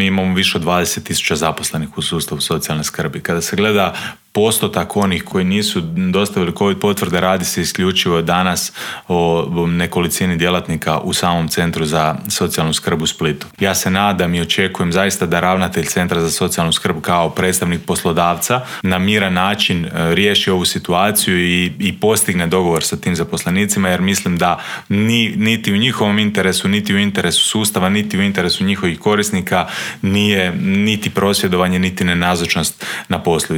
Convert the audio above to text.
mi imamo više od 20.000 zaposlenih u sustavu socijalne skrbi. Kada se gleda postotak onih koji nisu dostavili COVID potvrde, radi se isključivo danas o nekolicini djelatnika u samom Centru za socijalnu skrb u Splitu. Ja se nadam i očekujem zaista da ravnatelj Centra za socijalnu skrb kao predstavnik poslodavca na miran način riješi ovu situaciju i postigne dogovor sa tim zaposlenicima, jer mislim da niti u njihovom interesu, niti u interesu sustava, niti u interesu njihovih korisnika nije niti prosvjedovanje, niti nenazočnost na poslu.